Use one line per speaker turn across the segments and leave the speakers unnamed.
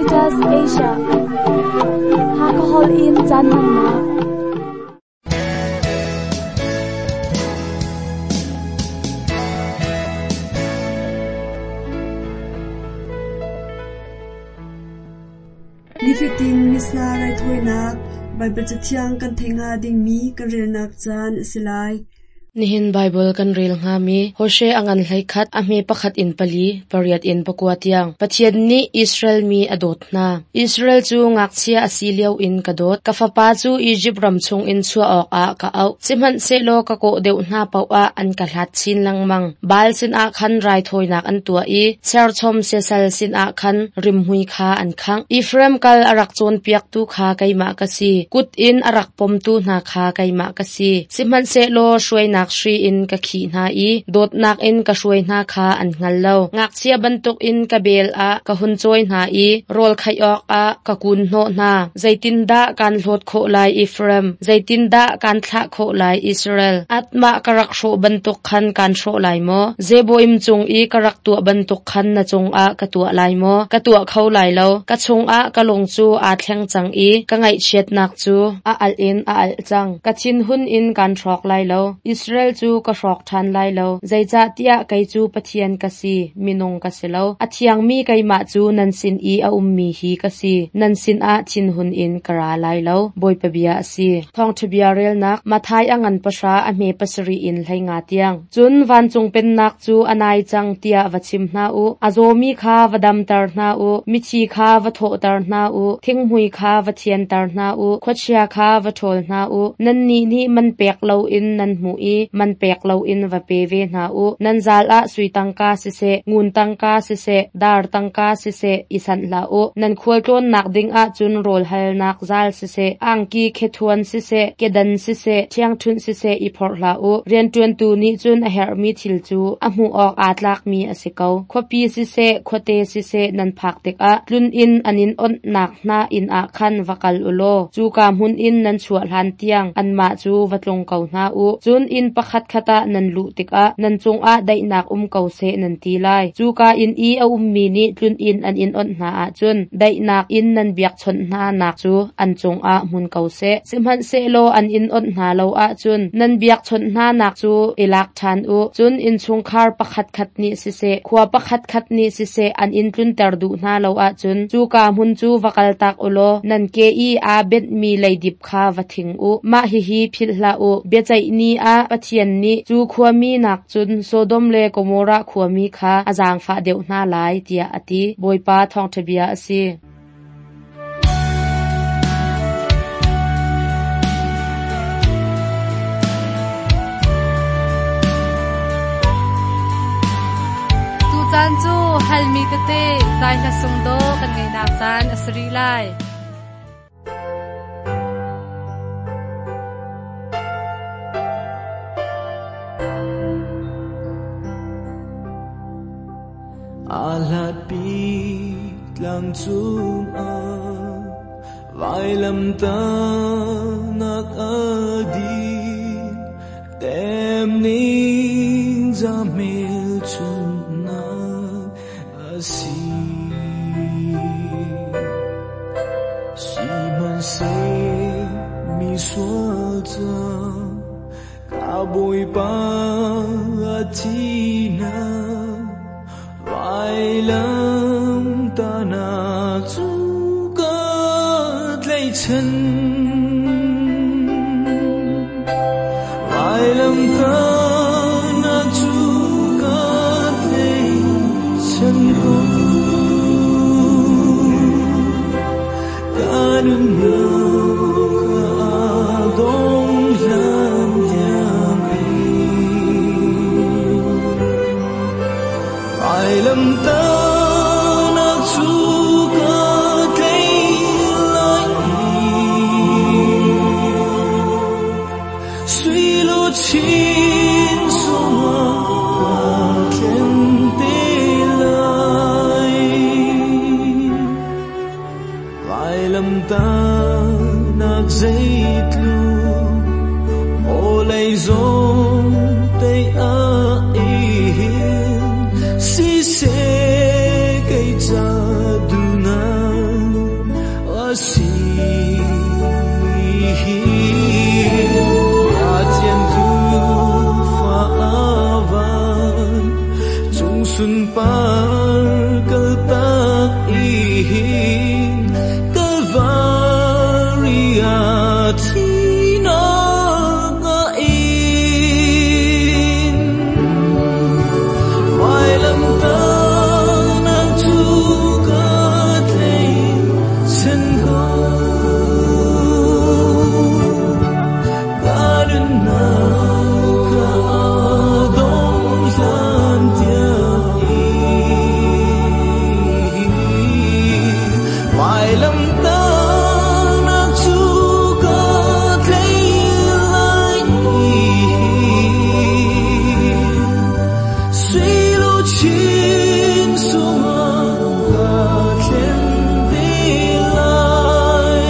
Adventist Asia. Hakahol in caan hmannak.
Nifatin Missa raithawinak Baibal Cathiang kan theih hnga dingmi kan relnak caan a si lai.
Nihin Baibal kan rel hngami Hosea a ngan 11, a hme pakhat in pali, pariat in pakua tiang. Pathian nih Israel mi a dawt hna. Israel cu ngakchia a si lio in ka dawt. Ka fapa cu Izipt ram chungin chuah awkah ka auh. Sihmanhsehlaw ka kawh deuh hna paoh ah an ka hlat chin lengmang. Baal sinah khan raithawinak an tuah i serchom siasal sinah khan rimhmui kha an khangh. Efraim kal a rak cawnpiaktu kha keimah ka si. Kut in a rak pomtu hna kha keimah ka si. Sihmanhsehlaw hruainak hri in ka khih hna i dawtnak in ka hruai hna kha an hngal lo. Ngakchia bantukin ka bel ah ka hun cawi hna i rawl khaih awkah ka kun hnawh hna. Zeitindah kaan hlawt khawh lai, Efraim? Zeitindah kaan thlah khawh lai, Israel? Atmah ka rak hrawh bantuk khan kaan hrawh lai maw? Zeboim cung i ka rak tuah bantuk khan na cungah ka tuah lai maw? Ka tuah kho lai lo. Ka chungah ka lung cu aa thleng cang i ka ngaihchiatnak cu a alh in a alh cang. Ka thinhun in kaan hrawk lai lo. Israel cu ka hrawk ṭhan lai lo. Zeicahtiah kei cu Pathian ka si, minung ka si lo. A thiangmi keimah cu nan sin i a ummi hi ka si. Nan sinah thinhun in ka ra lai lo. Bawipa bia a si. Thawngṭha bia relnak Matthai a ngan pahra a hme pasarih in 15 tiang. Cun vancung pennak cu a nai cang tiah va chim hna u. A zawmi kha va damter hna u. Mithi kha va thawhter hna u. Thinghmui kha va thianter hna u. Khuachia kha va ṭhawl hna u. Nannih nih man pek loin nan hmuh i man pek loin va pe ve hna u. Nan zal ah sui tangka siseh, ngun tangka siseh, dar tangka siseh i sanh hlah u. Nan khualtlawnnak ding ah cun rawl halnak zal siseh, angki khethuan siseh, kedan siseh, ṭhiangṭhunh siseh i phorh hlah u. Rianṭuantu nih cun a herhmi thil cu a hmuh awk aa tlakmi a si ko. Khuapi siseh, khuate siseh nan phak tikah tlun inn an in awnhnak hna inn ah khan va kal u law cuka hmun in nan chuah hlan tiang anmah cu va tlung ko hna u. Cun inn pakhatkhat ah nan luh tikah nan cungah daihnak um ko seh nan ti lai. Cuka inn i a ummi nih tlun inn an in awnh hna ahcun daihnak in nan biakchawnh hnanak cu an cungah hmun ko seh. Sihmanhsehlaw an in awnh hna lo ahcun nan biakchawnh hnanak cu i lak ṭhan u. Cun innchungkhar pakhatkhat nih siseh, khua pakhatkhat nih siseh an in tlunter duh hna lo ahcun cuka hmun cu va kaltak u law nan ke i aa benhmi leidip kha va thing u. Mah hihi philh hlah u, biaceih ni ah Pathian nih cu khuami nakcun Sodom le Gomorrah khuami kha a zaangfah deuh hna lai, tiah a ti. Bawipa thawngṭha bia a si.
Tucaan cu halmi tete zai hla sung dawh kan ngeihnak caan a si rih lai.
Aa hlatpi tlang cungah vailamtahnak a din tem ning za hmelchunhnak a si. Sihmanhseh mi sual ca ka Bawipa a thihnak vailamtahnak cu ka tlaihchan. Vailamtahnak cu ka tlaihchan ko. Ka nunnak a dong hlan tiang in vailamtahnak cu ka tlaih lai i sui luchin sungah ka thlen te lai. Vailamtahnak zeitluk vawlei zong tei a in siseh kei ca duhnak Calvary ah thinak a in. Vailamtahnak cu ka tlaihchan ko. Ka nunnak ka dong hlan tiang in. Vailamtahnak cu ka tlaih lai i. Sui luchin sungah ka thlen te lai.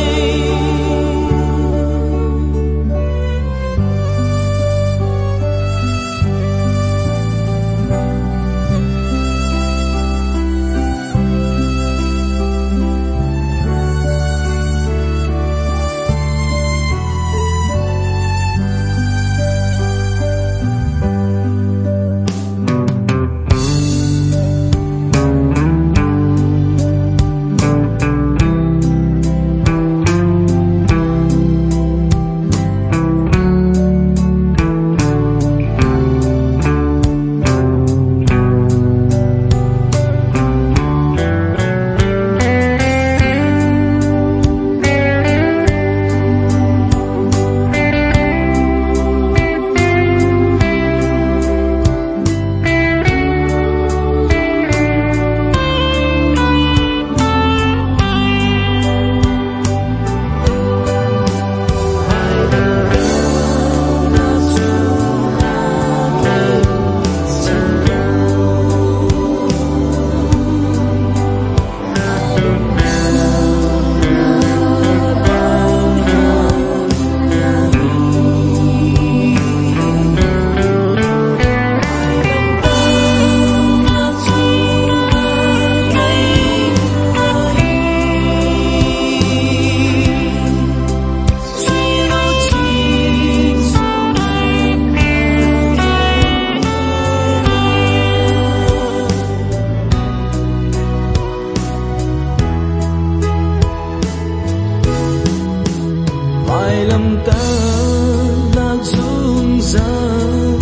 Vailamtahnak zungzal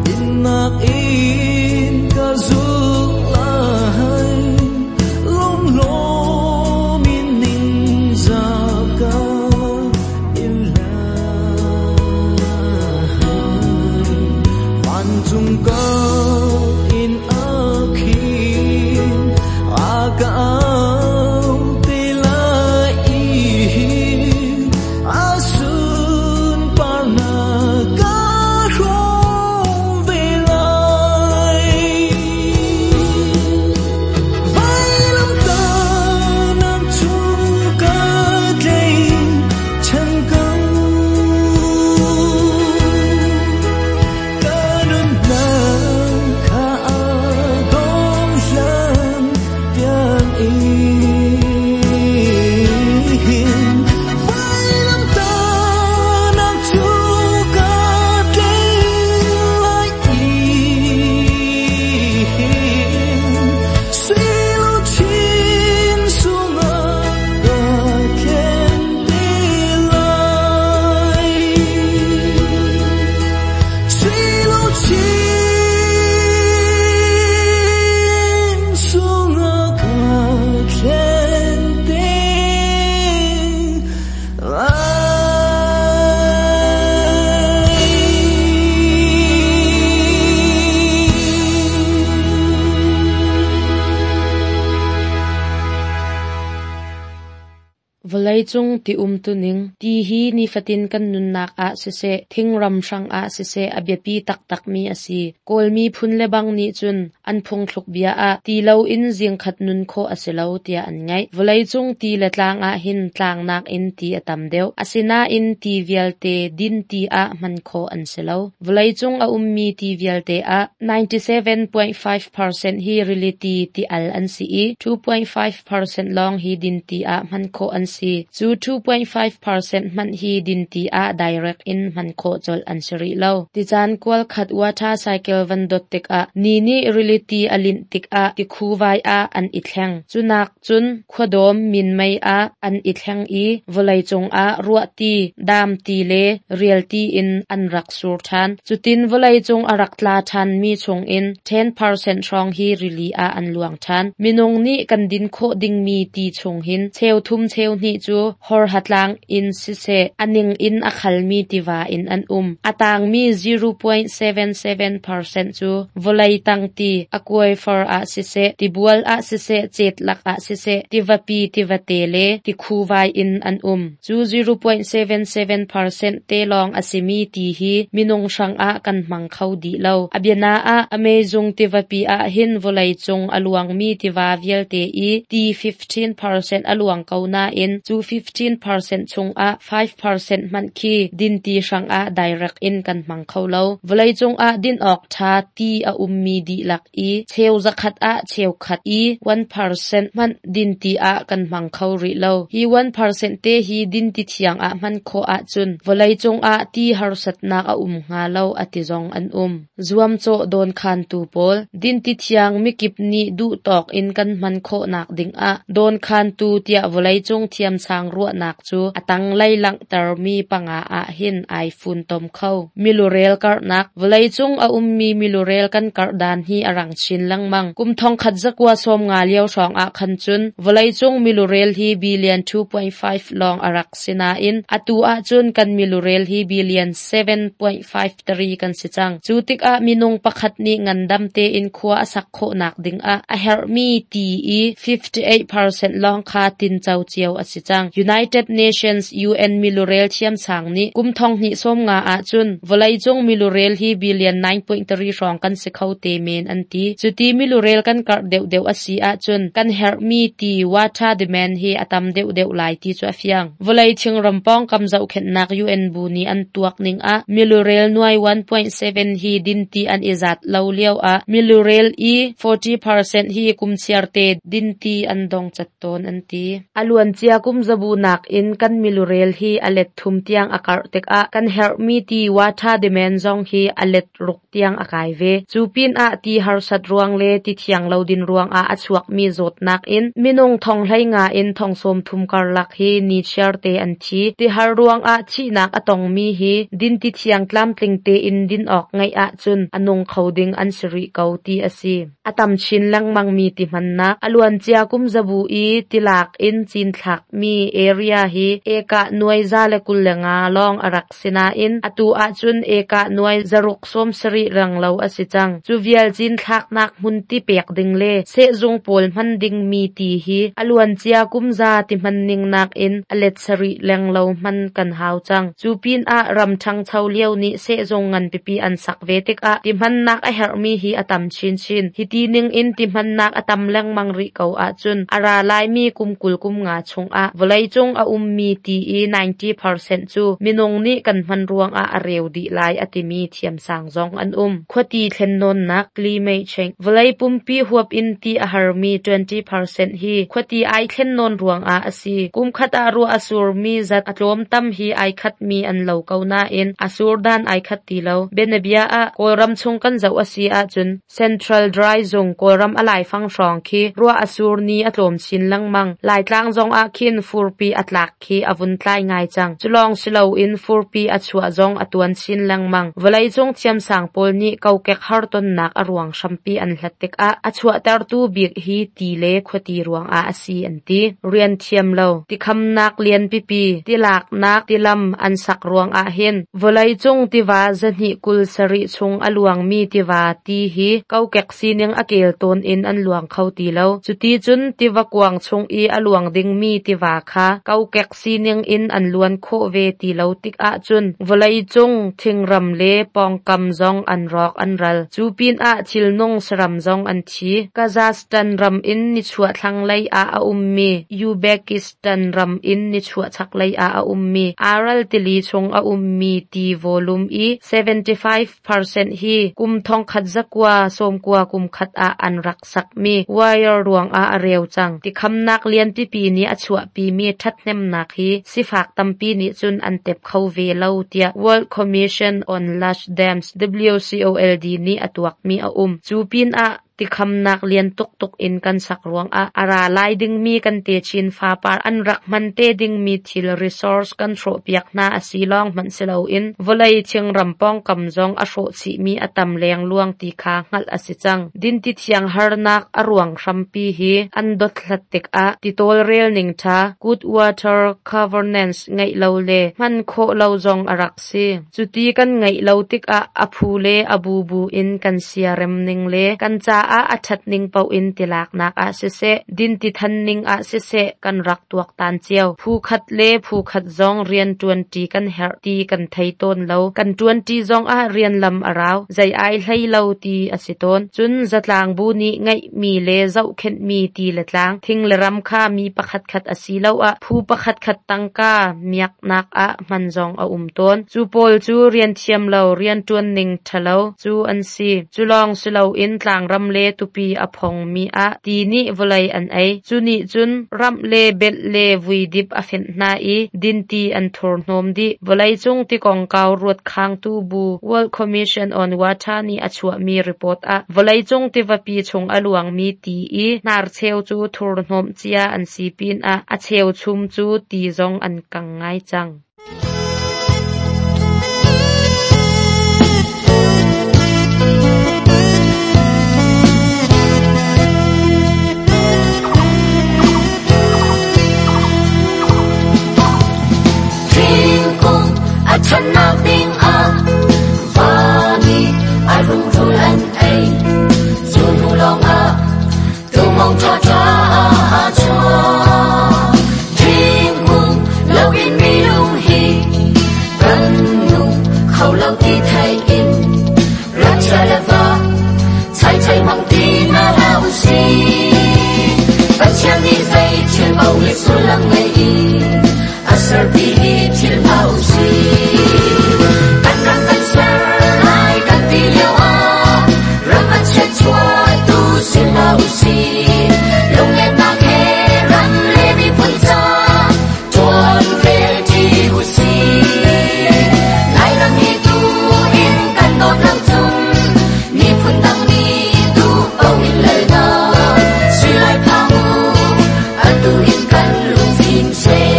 dinnak in ka zulh lai. Lunglawm in ningzah ka in lai. Vancung ka in a khin, a ka au te lai i. A sunparnak ka hrawm ve lai. Vailamtahnak cu ka tlaihchan ko. Ka nunnak kha a dong hlan tiang in. Vailamtahnak cu ka tlaih lai i. Sui luchin sungah ka thlen te lai. Sui luchin sungah ka thlen te lai.
Vawleicung ti umtuning ti hi nifatin kan nunnak ah siseh, thingram hrangah siseh a biapi taktakmi a si. Kawlmi phun le bang nih cun an phungthluk bia ah ti loin zingkhat nun khawh a si lo tiah an ngaih. Vawleicung ti le tlang ah hin tlangnak in ti a tam deuh. Asinain ti vialte din ti ah hman khawh an si lo. Vawleicung a ummi ti vialte ah 97.5% hi rili ti ti al an si i 2.5% lawng hi din ti ah hman khawh an si. Cu 2.5% hmanh hi dinti ah direct in hman khawh colh an si rih lo. Ticaan kual khat water cycle van dot tikah ni nih rili ti a linh tikah tikhuvai ah an i thleng. Cunak cun khuadawm minmei ah an i thleng i vawleicung ah ruahti, daamti le rialti in an rak sur ṭhan. Cutin vawleicung a rak tla ṭhanmi chungin 10% hrawng hi rili ah an luang ṭhan. Minung nih kan din khawh dingmi ti chung hin cheuthum cheuhnih cu horhatlang in siseh a ning in a khalmi tiva in an um. A tangmi 0.77% cu vawlei tang ti, aquifer ah siseh, tibual ah siseh, cetlak ah siseh, tivapi tivate le tikhuvai in an um. Cu 0.77% te lawng a simi ti hi minung hrangah kan hmang kho dih lo. A biana ah Amazon tivapi ah hin vawleicung a luangmi tiva vialte i ti 15% a luang ko nain cu 15% chungah 5% hmanh khi dinti hrangah direct in kan hmang kho lo. Vawleicung ah din awk ṭha ti a ummi dihlak i cheu zakhat ah cheukhat i 1% hmanh dinti ah kan hmang kho rih lo. Hi 1% te hi dinti thiang ah hman khawh ahcun vawleicung ah ti harsatnak a um hnga lo a ti zong an um. Zuamcawh dawnkhantu pawl dinti thiang mikip nih duhtawk in kan hman khawhnak dingah dawnkhantu tiah vawleicung thiamsang ruahnak cu a tanglei langhtermi panga ah hin ai funtom kho. Milurel karhnak Vawleicung a ummi milurel kan karh dan hi a rang chin lengmang. Kum thongkhat zakua sawmnga lio hrawng ah khan cun vawleicung milurel hi billion 2.5 lawng a rak si nain atu ahcun kan milurel hi billion 7.53 kan si cang. Cu tikah minung pakhat nih ngandam tein khua a sak khawhnak dingah a herhmi ti i 58% lawng kha tinco cio a si cang. United Nations UN milurel thiamsang nih kum thonghnih sawmnga ahcun vawleicung milurel hi billion 9.3 hrawng kan si kho te men an ti. Cuti milurel kan karh deuhdeuh a si ahcun kan herhmi ti water demand hi a tam deuhdeuh lai ti cu a fiang. Vawlei thingram pawngkam zohkhenhnak UN bu nih an tuak ning ah milurel nuai 1.7 hi dinti an i zat lo lio ah milurel i 40% hi kum chiarte dinti an dong cat tawn an ti. A luancia kum zabu nakin kan milurel hi a let thum tiang a karh tikah kan herhmi ti water demand zong hi a let ruk tiang a kai ve. Cu pinah ti harsat ruang le ti thiang lo din ruangah a chuakmi zawtnak in minung thong 15 in thong 30 karlak hi ni chiarte an thi. Ti har ruangah thihnak a tongmi hi dinti thiang tlamtling tein din awk ngeih ahcun a nung kho ding an si rih ko ti a si. A tam chin lengmangmi ti hmannak a luancia kum zabu i tilak in cinthlakmi area hi ekah nuai 125 lawng a rak si nain atu ahcun ekah nuai 670 renglo a si cang. Cu vial cinthlaknak hmun ti pek ding le sehzung pawl hman dingmi ti hi a luancia kum za ti hman ning nakin a let sarih lenglo hman kan hau cang. Cu pinah ram ṭhangcho lio nih sehzung nganpipi an sak ve tikah ti hmannak a herhmi hi a tam chinchin. Hiti ningin ti hmannak a tam lengmang rih ko ahcun a ra laimi kum 20 kum nga chungah vawleicung a ummi ti i 90% cu minung nih kan hman ruangah a reu dih lai a timi thiamsang zong an um. Khuati thlennawnnak climate change Vawlei pumpi huap in ti a harmi 20% hi khuati ai thlennawn ruangah a si. Kum khat ah ruah a surmi zat a tlawmtam hi ai khatmi an lo ko nain a sur dan ai khat ti lo. Bianabia ah Kawlram chung kan zoh a si ahcun Central Dry zung Kawlram a laifang hrawng khi ruah a sur ni a tlawm chin lengmang. Laitlang zong ah khin furpi a tlak khi a vun tlai ngai cang. Cu lawng si loin furpi a chuah zong a tuan chin lengmang. Vawleicung thiamsang pawl nih kokek hartonnak a ruang hrampi an hlat tikah a chuahtertu bik hi ti le khuati ruangah a si an ti. Rian thiam lo, tikhamnak lian pipi, tilaknak tilam an sak ruangah hin vawleicung tiva 227 chung a luangmi tiva ti hi kokek sining a kel tawn in an luang kho ti lo. Cuti cun tiva kuang chung i a luang dingmi tiva kha kokek sining in an luan khawh ve ti lo tik ahcun vawleicung thingram le pawngkam zong an rawk an ral. Cu pinah thilnung saram zong an thi. Kazakhstan ram in nichuah thlanglei ah a ummi Uzbekistan ram in nichuah chaklei ah a ummi Aral tili chung a ummi ti volume i 75% hi kum 1990 kum khat ah an rak sakmi wire ruangah a reu cang. Tikhamnak lian pipi nih a chuahpi. chuahpimi ṭhathnemnak hi sifak tampi nih cun an tep kho ve lo tiah World Commission on Large Dams, WCOLD, nih a tuakmi a um. Cu pinah tikhamnak lian tuktuk in kan sak ruangah a ra lai dingmi kan techin fapar an rak hman te dingmi thil resource kan hrawhpiak hna a si lawng hmanh si loin vawlei thingram pawngkam zong a hrawh chihmi a tam lengluang ti kha hngalh a si cang. Dinti thiang harnak a ruang hrampi hi an dothlat tikah ti tawlrel ning ṭha, good water governance, ngeih lo le hman khawh lo zong a rak si. Cuti kan ngeih lo tikah a phu le a bubu in kan siarem ning le kan caah a ṭhat ning paoh in tilaknak ah siseh, dinti than ning ah siseh kan rak tuaktan cio. Phu khat le phu khat zong rian ṭuanṭi kan herh ti kan thei tawn lo. Kan ṭuanṭi zongah rian lam a rau, zei ai hlei lo ti a si tawn. Cun zatlang bu nih ngeihmi le zohkhenhmi ti le tlang, thing le ram kha mi pakhatkhat asiloah phu pakhatkhat tangka miaknak ah hman zong a um tawn. Cu pawl cu rian thiam lo, rianṭuan ning ṭhalo cu an si. Cu lawng si loin tlangram le tupi a phongmi ah ti nih vawlei an ei. Cu nih cun ramh le belh le vuidip a fenh hna i dinti an thurhnawm dih. Vawleicung ti kongkau ruatkhangtu bu World Commission on Water nih a chuahmi report ah vawleicung tivapi chung a luangmi ti i hnarcheu cu thurhnawmh cia an si pinah a cheuchum cu ti zong an kang ngai cang.
Thingkung a ṭhannak ding ah va nih a rungrul an ei. Cu hnu lawngah tumong ṭhaṭha a chuak. Thingkung loin minung hi kan nung kho lo ti thei in rat chia le va chai chai hmang ti hna hlah u sih. Pathian nih zei thil paoh hi sullam ngei in a ser ti hi philh hlah u sih. Kan ram kan ser lai kan ti lio ah ram a chiatchuahtu si hlah u sih. Lunglennak he ram le miphun ca ṭuan rel ṭi u sih. Lairam hi tu in kan dawt lo cun miphun dang nih duh paoh in lalnak si lai phang u, atu in kan lungfim seh.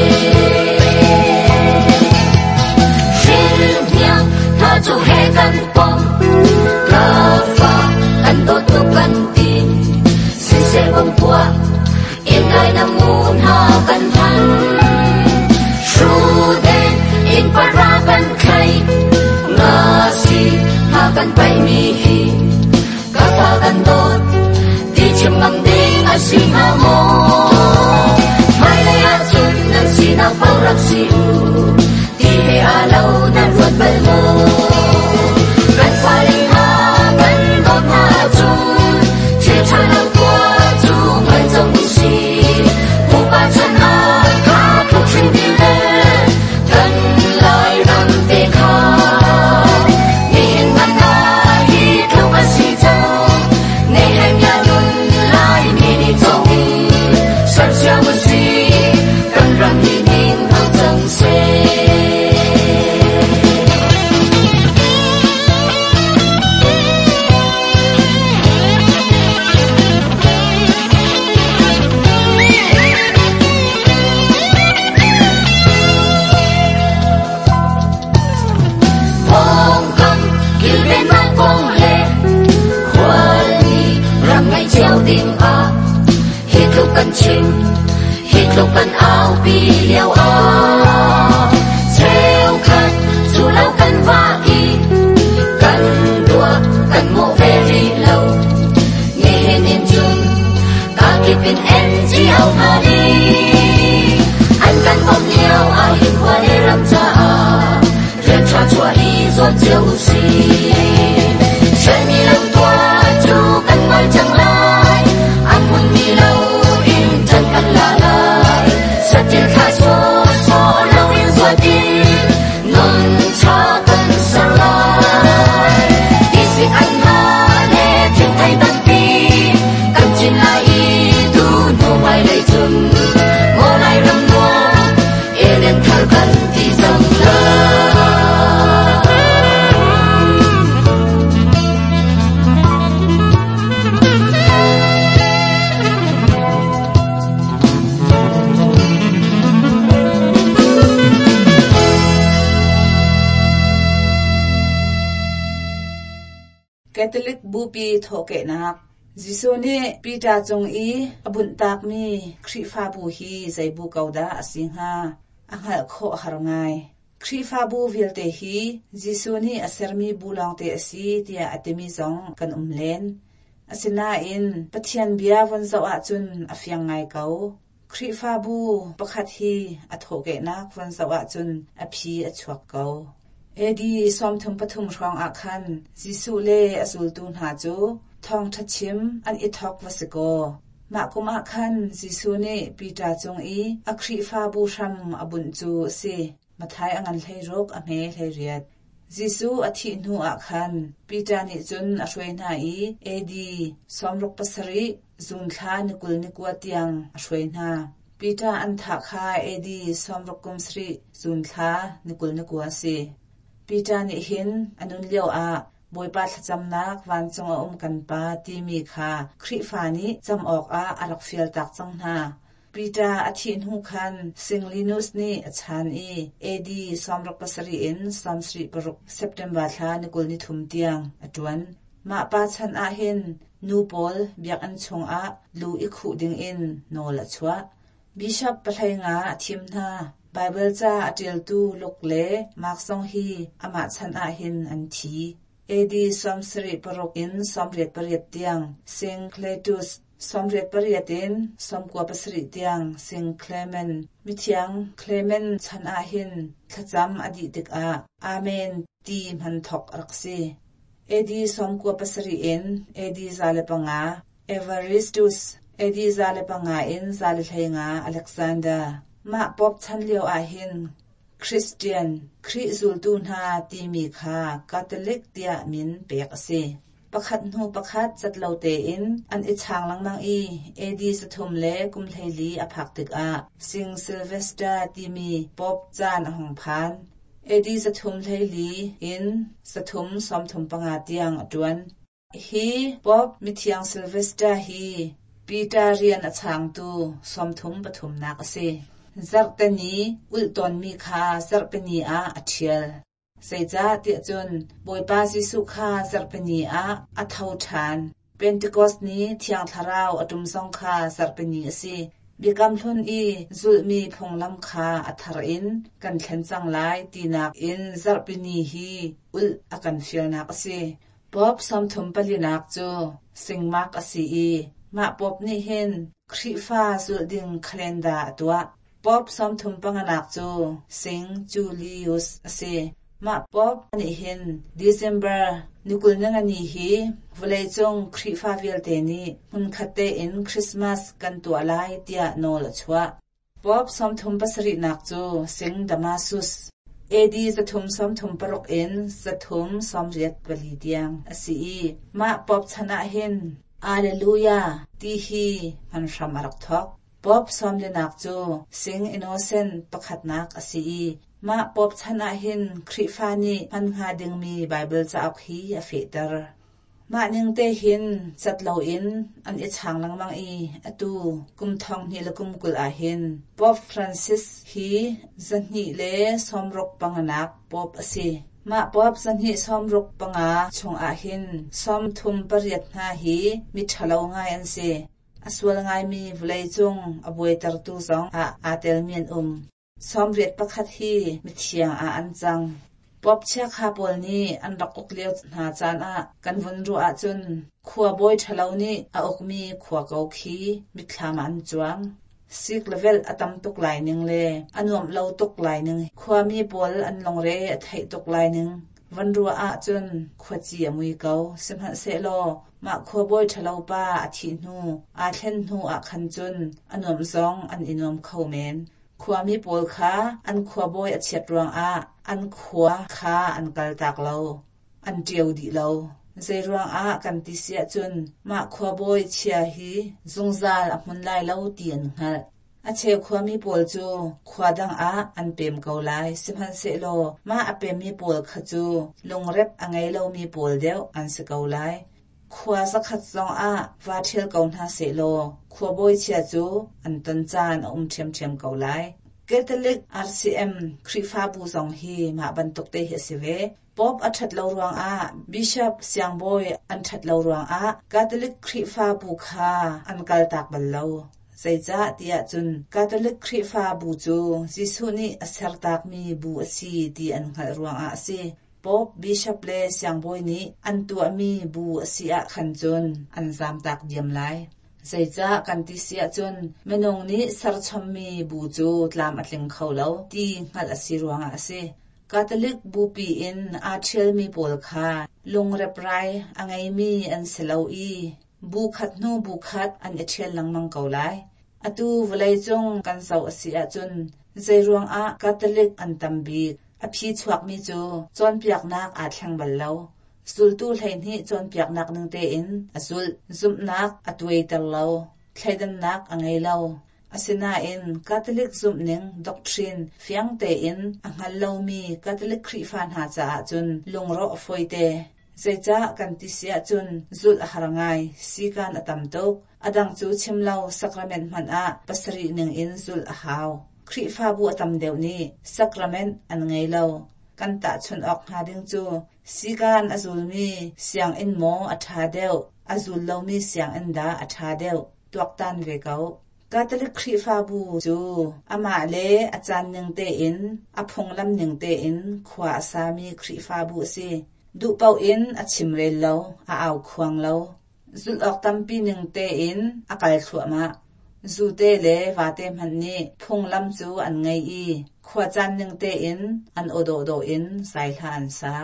Hrilhniang hna cu he kan pom, ka fa kan dawt tuk kan ti. Siseh bawmpuah in dai na ngun ha kan hman. Hruden in para kan thlai, nga si ha kan paih mi hi. Ka fa kan dawt, ti chim ngam ding a si hnga maw? Hmailei ahcun nan sinak paoh rak si u, ti he aa lo nan ruat bal maw? Kan fale hna kan dawt hna ahcun thil ṭha lo tuah cu ngai cang u sih. Pupa chan ah kha tluk hring ding le kan Lairam te kha. Nihin hmanh ah hi tluk a si cang. Nehemiah nun Laimi nih cawng in sersiam u sih. Kan ram hi ning hau cang seh. Pawngkam kilvennak kong le khualmi ram ngeih cio ding ah hi tluk kan chim, hi tluk kan aupi lio ah cheukhat cu lo kan vah i kan tuah kan mawh ve rih lo. Nihin in cun kakip in NGO hna nih an kan bawmh lio ah hin khua le ram caah rian ṭha chuah i zuam cio u sih. Ṭhialmi lo tuah cu kan ngol cang lai, a hmunmi lo in ṭan kan la lai. Saṭil thlah sawh
Catholic Bupi thawhkehnak Jesuh nih Peter cung i a bunhtakmi Khrihfabu hi zei bu ko dah a si hnga? A hngalh khawh har ngai. Khrihfabu vialte hi Jesuh nih a sermi bu lawngte a si tiah a timi zong kan um len. Asinain Pathian bia von zoh ahcun a fiang ngai ko. Khrihfabu pakhat hi a thawhkehnak von zoh ahcun a phi a chuak ko. AD 33 hrawng ah khan Jesuh le a zultu hna cu thawngṭha chim an i thawk va si kaw, mah kum ah khan Jesuh nih Peter cung i a Khrihfabu hram a bunh cu a si. Matthai a ngan 16 a hme 18. Jesuh a thih hnu ah khan Peter nih cun a hruai hna i AD 67 Zung thla ni 29 tiang a hruai hna. Peter an thah kha AD 67 Zun thla ni 29 a si. Peter nih hin a nun lio ah Bawipa thlacamnak vancung a um kan Pa timi kha Khrihfa nih cam awkah a rak fialtak cang hna. Peter a thih hnu khan Singlinus nih a chan i AD 67 in 76 September thla ni 23 tiang a ṭuan. Mah pa chan ah hin nu pawl biakinn chungah lu i khuh dingin nawl a chuah. Bishop pahlei nga a thim hna. Baibal ca a ṭialtu Luke le Mark zong hi amah chan ah hin an thi. AD 76 in 88 tiang Sing Cletus, 88 in 97 tiang Sing Clement, mithiang Clement chan ah hin thlacam a dih tikah Amen ti hman thawk a rak si. AD 97 in AD 105 Evaristus, AD 105 in 115 Alexander. Mah Pope chan lio ah hin Christian, Khrih zultu hna timi kha Catholic tiah min pek a si. Pakhat hnu pakhat cat lo tein an i chaang lengmang i AD 314 a phak tikah Sing Sylvester timi Pope caan a hung phan. AD 314 in 335 tiang a ṭuan. Hi Pope mithiang Sylvester hi Peter rian a chaangtu 33nak a si. Zarhteni ulh tawnmi kha zarhpini ah a ṭhial. Zeicah tiah cun Bawipa Jesuh kha zarhpini ah a tho ṭhan. Pentecost ni Thiang Thlarau a ṭum zong kha zarhpini a si. Biakam Hlun i zulhmi phunglam kha a thar in kan thlen cang lai tinak in zarhpini hi ulh a kan fialnak a si. Pope 34nak cu Singmark a si i mah Pope nih hin Khrihfa zulh ding calendar a tuah. Pope 35nak cu Sing Julius a si. Mah Pope nih hin December ni 20 hi vawleicung Khrihfa vialte nih hmunkhat tein Christmas kan tuah lai tiah nawl a chuah. Pope 37nak cu Sing Damasus, AD 336 in 384 tiang a si i mah Pope chan ah hin Alleluia ti hi hman hram a rak thawk. Pope sawmlinak cu Sing Innocent pakhatnak a si i mah Pope chan ah hin Khrihfa nih hman hnga dingmi Baibal cauk hi a fehter. Mah ning te hin cat loin an i chaang lengmang i atu kum 2020 ah hin Pope Francis hi 265nak Pope a si. Mah Pope 265 chungah hin 38 hna hi miṭhalo ngai an si. A sual ngaimi vawleicung a buaitertu zong ah aa telmi an um. 81 hi mithiang ah an cang. Pope chiakha pawl nih an rak uk lio hna caan ah kan vun ruah ahcun khua bawi ṭhalo nih a ukmi khua ko khi mitthlam ah an cuang. Sik le velh a tam tuk lai ning le a nuamh lo tuk lai ning, khuami pawl an lungre a theih tuk lai ning van ruah ahcun khuaci a mui ko. Sihmanhsehlaw mah khuabawi ṭhalo pa a thih hnu, aa thlen hnu ah khan cun a nuamh zong an i nuam kho men. Khuami pawl kha an khuabawi a chiat ruangah an khua kha an kaltak lo, an ṭio dih lo. Zeiruangah kan ti si ahcun mah khuabawi chia hi zungzal a hmun lai lo ti an hngalh. A cheu khuami pawl cu khua dang ah an pem ko lai, sihmanhsehlaw mah a pemmi pawl kha cu lungrep a ngei lomi pawl deuh an si ko lai. Khua zakhat zong ah vaa ṭhial ko hna sehlaw khuabawi chia cu an ton caan a um ṭhiamṭhiam ko lai. Catholic RCM Khrihfabu zong hi mah bantuk te hi a si ve. Pope a ṭhat lo ruangah, Bishop siangbawi an ṭhat lo ruangah Catholic Khrihfabu kha an kaltak bal lo. Zeicah tiah cun Catholic Khrihfabu cu Jesuh nih a sertakmi bu a si ti an hngalh ruangah a si. Pope, Bishop le siangbawi nih an tuahmi bu a si ah khan cun an zamtak diam lai. Zeicah kan ti si ahcun minung nih serchommi bu cu tlam a tling kho lo ti hngalh a si ruangah a si. Catholic bupi in aa ṭhialmi pawl kha lungreprai a ngeimi an si lo i bu khat hnu bu khat an i ṭhial lengmang ko lai. Atu vawleicung kan zoh a si ahcun zeiruangah Catholic an tam bik? A phi chuakmi cu cawnpiaknak aa thleng bal lo. Zultu 12 cawnpiaknak ning tein a zulh. Zumhnak a tuaiter lo. Thleidannak a ngei lo. Asinain Catholic zumhning doctrine fiang tein a hngal lomi Catholic Khrihfa hna caah cun lungrawh a fawite. Zeicah kan ti si ahcun zulh a har ngai, sikan a tam tuk. A dang cu chim lo sacrament hmanh ah pasarih ning in zulh a hau. Khrihfabu a tam deuh nih sacrament an ngei lo. Kan tahchunh awk hnga ding cu sikan a zulmi sianginn maw a ṭha deuh, a zul lomi sianginn dah a ṭha deuh, tuaktan ve ko. Catholic Khrihfabu cu amah le a caan ning tein, a phunglam ning tein khua a sami Khrihfabu a si. Duh paoh in a chimrel lo, a aukhuang lo. Zulh awk tampi ning tein a kal thluahmah. Zute le vate hmanh nih phunglam cu an ngei i khuacaan ning tein an aw dawhdawh in zaihla an sa.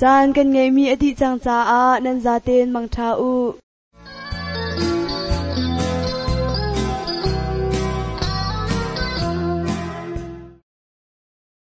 Caan kan ngeihmi a dih cang caah nan zaten mangṭha u.